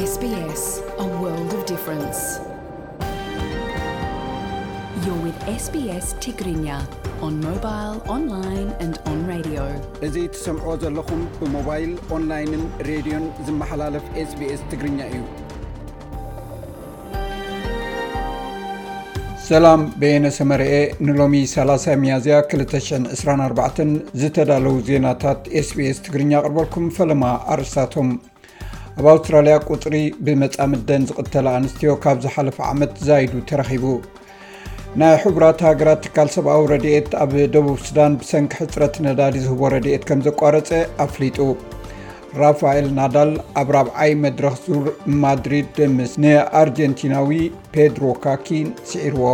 S B S, a world of difference. You're with S B S Tigrinya on mobile, online and on radio. እዚ ትሰምዕዎ ዘለኹም ብሞባይል፣ ኦንላይንን ሬድዮን ዝመሓላለፍ SBS ትግርኛ እዩ። ሰላም፣ በየነ ሰመረኤ። ንሎሚ ሰላሳ ሚያዝያ ክልተ ሽሕን ዕስራን ኣርባዕተን ዝተዳለዉ ዜናታት SBS ትግርኛ ኣቕርበልኩም። ፈለማ ኣርእስታቶም። ኣብ ኣውስትራልያ ቁጽሪ ብመጻምደን ዝቕተላ ኣንስትዮ ካብ ዝሓለፈ ዓመት ዛይዱ ተረኺቡ። ናይ ሕቡራት ሃገራት ትካል ሰብኣዊ ረድኤት ኣብ ደቡብ ሱዳን ብሰንኪ ሕጽረት ነዳዲ ዝህቦ ረድኤት ከም ዘቋረጸ ኣፍሊጡ። ራፋኤል ናዳል ኣብ ራብዓይ መድረኽ ዙር ማድሪድ ምስ ንኣርጀንቲናዊ ፔድሮ ካኪን ስዒርዎ።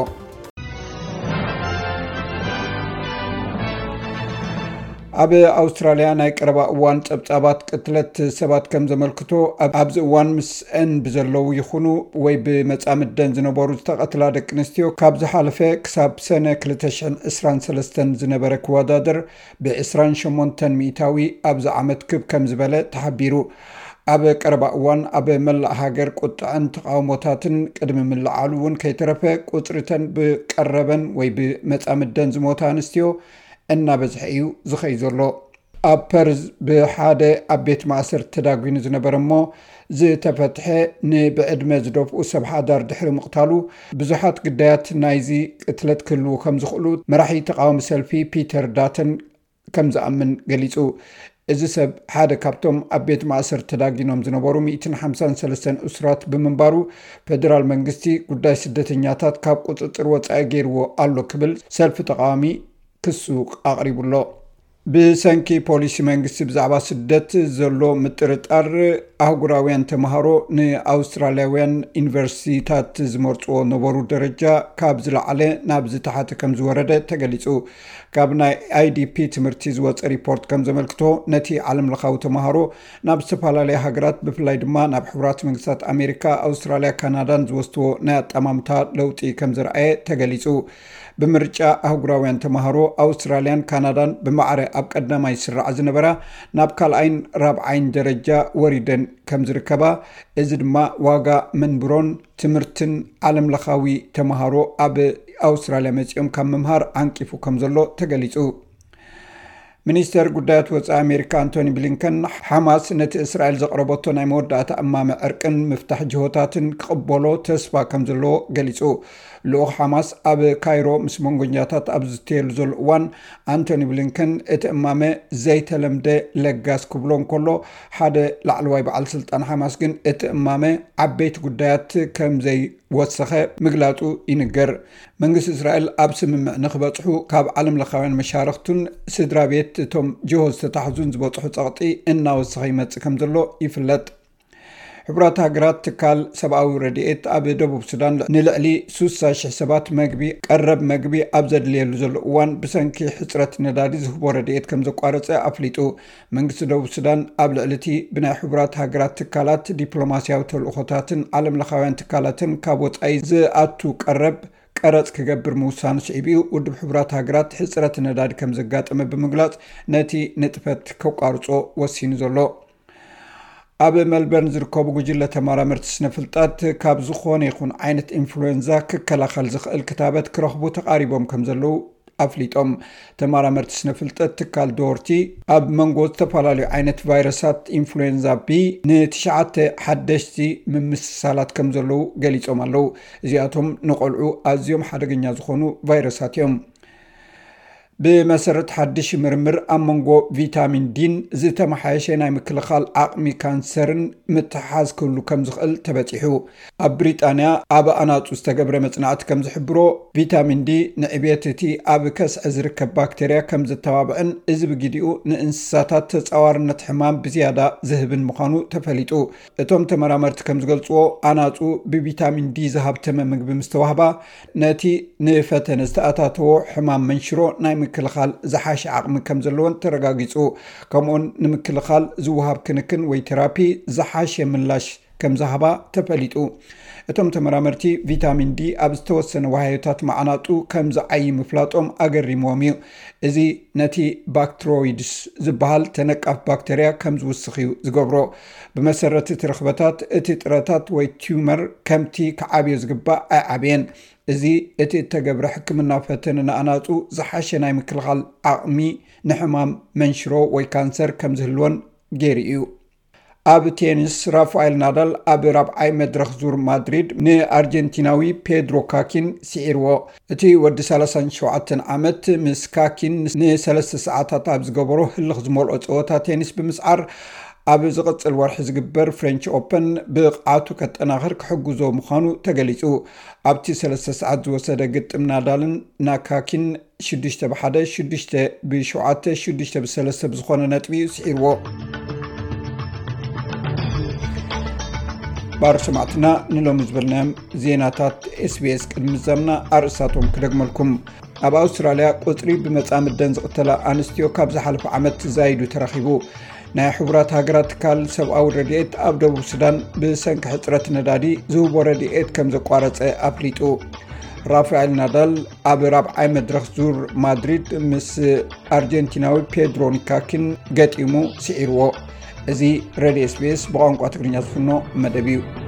ኣብ ኣውስትራልያ ናይ ቀረባ እዋን ጸብጻባት ቅትለት ሰባት ከም ዘመልክቶ፣ ኣብ-፣ ኣብዚ እዋን ምስአን ብዘለዉ ይኹኑ ወይ ብመጻምደን ዝነበሩ ዝተቐትላ ደቂ ኣንስትዮ ካብ ዝሓለፈ ክሳብ ሰነ ክልተ ሽሕን ዕስራን ሰለስተን ዝነበረ ክወዳደር ብዕስራን ሸሞንተን ሚእታዊ ኣብዚ ዓመት ክብ ከም ዝበለ ተሓቢሩ። ኣብ ቀረባ እዋን ኣብ መላእ ሃገር ቁጥዐን ተቓውሞታትን ቅድሚ ምልዓሉ እውን ከይተረፈ ቁጽሪተን ብቀረበን ወይ ብመጻምደን ዝሞታ ኣንስትዮ እናበዝሐ እዩ ዝኸይ ዘሎ። ኣብ ፐርዝ ብሓደ ኣብ ቤት ማእሰርቲ ተዳጒኑ ዝነበረ እሞ ዝተፈትሐ ንብዕድመ ዝደፍኡ ሰብ ሓዳር ድሕሪ ምቕታሉ፣ ብዙሓት ግዳያት ናይዚ ቅትለት ክህልዉ ከም ዝኽእሉ መራሒ ተቓዋሚ ሰልፊ ፒተር ዳተን ከም ዝኣምን ገሊጹ። እዚ ሰብ ሓደ ካብቶም ኣብ ቤት ማእሰርቲ ተዳጊኖም ዝነበሩ ሚእትን ሓምሳን ሰለስተን እሱራት ብምንባሩ፣ ፌደራል መንግስቲ ጉዳይ ስደተኛታት ካብ ቁጽጽር ወጻኢ ገይርዎ ኣሎ ክብል ሰልፊ ተቓዋሚ ክሱ ኣቕሪቡ ኣሎ። ብሰንኪ ፖሊሲ መንግስቲ ብዛዕባ ስደት ዘሎ ምጥርጣር፣ ኣህጉራውያን ተምሃሮ ንኣውስትራልያውያን ዩኒቨርሲቲታት ዝመርጽዎ ነበሩ ደረጃ ካብ ዝለዓለ ናብ ዝተሓተ ከም ዝወረደ ተገሊጹ። ካብ ናይ ኣይ ዲ ፒ ትምህርቲ ዝወጸ ሪፖርት ከም ዘመልክቶ፣ ነቲ ዓለምለኻዊ ተምሃሮ ናብ ዝተፈላለያ ሃገራት፣ ብፍላይ ድማ ናብ ሕቡራት መንግስታት ኣሜሪካ፣ ኣውስትራልያ፣ ካናዳን ዝወስድዎ ናይ ኣጠማምታ ለውጢ ከም ዘርኣየ ተገሊጹ። ብምርጫ ኣህጉራውያን ተምሃሮ፣ ኣውስትራልያን ካናዳን ብማዕረ ኣብ ቀዳማይ ስራዕ ዝነበራ ናብ ካልኣይን ራብዓይን ደረጃ ወሪደን ከም ዝርከባ፣ እዚ ድማ ዋጋ መንብሮን ትምህርትን ዓለምለኻዊ ተምሃሮ ኣብ ኣውስትራልያ መጺኦም ካብ ምምሃር ዓንቂፉ ከም ዘሎ ተገሊጹ። ሚኒስተር ጉዳያት ወጻኢ ኣሜሪካ ኣንቶኒ ብሊንከን፣ ሓማስ ነቲ እስራኤል ዘቕረበቶ ናይ መወዳእታ እማመ ዕርቅን ምፍታሕ ጅሆታትን ክቕበሎ ተስፋ ከም ዘለዎ ገሊጹ። ልኡኽ ሓማስ ኣብ ካይሮ ምስ መንጎኛታት ኣብ ዝዝተየሉ ዘሎ እዋን፣ ኣንቶኒ ብሊንከን እቲ እማመ ዘይተለምደ ለጋስ ክብሎ እንከሎ፣ ሓደ ላዕለዋይ በዓል ስልጣን ሓማስ ግን እቲ እማመ ዓበይቲ ጉዳያት ከም ዘይወሰኸ ምግላጹ ይንገር። መንግስቲ እስራኤል ኣብ ስምምዕ ንክበጽሑ ካብ ዓለምለኻውያን መሻርኽቱን ስድራ ቤት እቶም ጅሆ ዝተታሕዙን ዝበጽሑ ጸቕጢ እናወሰኸ ይመጽእ ከም ዘሎ ይፍለጥ። ሕቡራት ሃገራት ትካል ሰብኣዊ ረድኤት ኣብ ደቡብ ሱዳን ንልዕሊ ስሳ ሽሕ ሰባት መግቢ፣ ቀረብ መግቢ ኣብ ዘድልየሉ ዘሎ እዋን ብሰንኪ ሕጽረት ነዳዲ ዝህቦ ረድኤት ከም ዘቋረጸ ኣፍሊጡ። መንግስቲ ደቡብ ሱዳን ኣብ ልዕሊ እቲ ብናይ ሕቡራት ሃገራት ትካላት ዲፕሎማስያዊ ተልእኾታትን ዓለምለኻውያን ትካላትን ካብ ወጻኢ ዝኣቱ ቀረብ ቀረጽ ክገብር ምውሳኑ ስዒቡ እዩ ውድብ ሕቡራት ሃገራት ሕጽረት ነዳዲ ከም ዘጋጠመ ብምግላጽ ነቲ ንጥፈት ከቋርጾ ወሲኑ ዘሎ። ኣብ ሜልበርን ዝርከቡ ጉጅለ ተመራመርቲ ስነ ፍልጠት ካብ ዝኾነ ይኹን ዓይነት ኢንፍሉዌንዛ ክከላኸል ዝኽእል ክታበት ክረኽቡ ተቓሪቦም ከም ዘለዉ ኣፍሊጦም። ተመራመርቲ ስነ ፍልጠት ትካል ዶርቲ ኣብ መንጎ ዝተፈላለዩ ዓይነት ቫይረሳት ኢንፍሉዌንዛ ቢ ንትሽዓተ ሓደሽቲ ምምስሳላት ከም ዘለዉ ገሊጾም ኣለዉ። እዚኣቶም ንቆልዑ ኣዝዮም ሓደገኛ ዝኾኑ ቫይረሳት እዮም። ብመሰረት ሓድሽ ምርምር፣ ኣብ መንጎ ቪታሚን ዲን ዝተመሓየሸ ናይ ምክልኻል ዓቕሚ ካንሰርን ምትሓሓዝ ክህሉ ከም ዝኽእል ተበጺሑ። ኣብ ብሪጣንያ ኣብ ኣናጹ ዝተገብረ መጽናዕቲ ከም ዝሕብሮ፣ ቪታሚን ዲ ንዕብየት እቲ ኣብ ከስዐ ዝርከብ ባክተርያ ከም ዘተባብዕን፣ እዚ ብግዲኡ ንእንስሳታት ተጻዋርነት ሕማም ብዝያዳ ዝህብን ምዃኑ ተፈሊጡ። እቶም ተመራመርቲ ከም ዝገልጽዎ፣ ኣናጹ ብቪታሚን ዲ ዝሃብተመ ምግቢ ምስ ተዋህባ፣ ነቲ ንፈተነ ዝተኣታተዎ ሕማም መንሽሮ ናይ ምክልኻል ዝሓሸ ዓቕሚ ከም ዘለወን ተረጋጊጹ። ከምኡውን ንምክልኻል ዝወሃብ ክንክን ወይ ቴራፒ ዝሓሸ ምላሽ ከም ዝሃባ ተፈሊጡ። እቶም ተመራመርቲ፣ ቪታሚን ዲ ኣብ ዝተወሰነ ዋህዮታት መዓናጡ ከም ዝዓዪ ምፍላጦም ኣገሪምዎም እዩ። እዚ ነቲ ባክትሮይድስ ዝበሃል ተነቃፍ ባክተርያ ከም ዝውስኽ እዩ ዝገብሮ። ብመሰረት እቲ ርኽበታት፣ እቲ ጥረታት ወይ ቲዩመር ከምቲ ክዓብዮ ዝግባእ ኣይዓበየን። እዚ እቲ እተገብረ ሕክምናዊ ፈተነ ንኣናጹ ዝሓሸ ናይ ምክልኻል ዓቕሚ ንሕማም መንሽሮ ወይ ካንሰር ከም ዝህልወን ገይሩ እዩ። ኣብ ቴኒስ፣ ራፋኤል ናዳል ኣብ ራብዓይ መድረኽ ዙር ማድሪድ ንኣርጀንቲናዊ ፔድሮ ካኪን ስዒርዎ። እቲ ወዲ ሰላሳን ሸውዓተን ዓመት ምስ ካኪን ንሰለስተ ሰዓታት ኣብ ዝገበሮ ህልኽ ዝመልኦ ጸወታ ቴኒስ ብምስዓር፣ ኣብ ዝቕጽል ወርሒ ዝግበር ፍሬንች ኦፐን ብቕዓቱ ከጠናኽር ክሕግዞ ምዃኑ ተገሊጹ። ኣብቲ ሰለስተ ሰዓት ዝወሰደ ግጥም፣ ናዳልን ናካኪን ሽዱሽተ ብ ሓደ፣ ሽዱሽተ ብ ሸውዓተ፣ ሽዱሽተ ብ ሰለስተ ብዝኾነ ነጥቢ እዩ ስዒርዎ። ባር ሰማዕትና፣ ንሎሚ ዝበልናዮም ዜናታት ኤስቢኤስ ቅድሚ ምዛምና ኣርእስታቶም ክደግመልኩም። ኣብ ኣውስትራልያ ቁጽሪ ብመጻምደን ዝቕተላ ኣንስትዮ ካብ ዝሓለፈ ዓመት ዛይዱ ተረኺቡ። ናይ ሕቡራት ሃገራት ትካል ሰብኣዊ ረድኤት ኣብ ደቡብ ሱዳን ብሰንኪ ሕጽረት ነዳዲ ዝህቦ ረድኤት ከም ዘቋረጸ ኣፍሊጡ። ራፋኤል ናዳል ኣብ ራብዓይ መድረኽ ዙር ማድሪድ ምስ ኣርጀንቲናዊ ፔድሮ ኒካኪን ገጢሙ ስዒርዎ። እዚ ሬድዮ ኤስቢኤስ ብቋንቋ ትግርኛ ዝፍኖ መደብ እዩ።